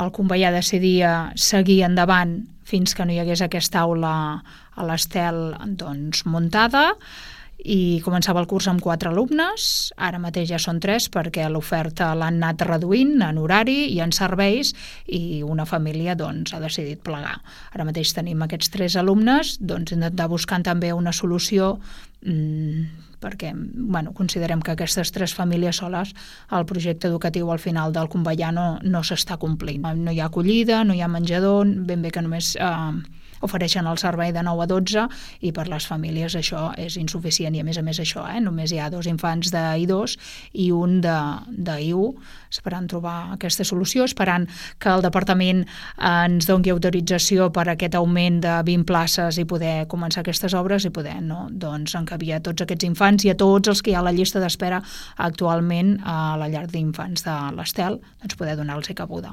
el Convellà decidia seguir endavant fins que no hi hagués aquesta aula a l'Estel muntada, i començava el curs amb 4 alumnes, ara mateix ja són 3 perquè l'oferta l'han anat reduint en horari i en serveis, i una família ha decidit plegar. Ara mateix tenim aquests 3 alumnes, intentar buscant també una solució, perquè considerem que aquestes 3 famílies soles el projecte educatiu al final del Convellà no s'està complint. No hi ha acollida, no hi ha menjador, ben bé que només ofereixen el servei de 9 a 12 i per les famílies això és insuficient, i a més això, només hi ha 2 infants d'I2 i un d'I1, esperant trobar aquesta solució, esperant que el departament ens doni autorització per aquest augment de 20 places i poder començar aquestes obres i poder encabir a tots aquests infants i a tots els que hi ha a la llista d'espera actualment a la llar d'infants de l'Estel, poder donar-los cabuda.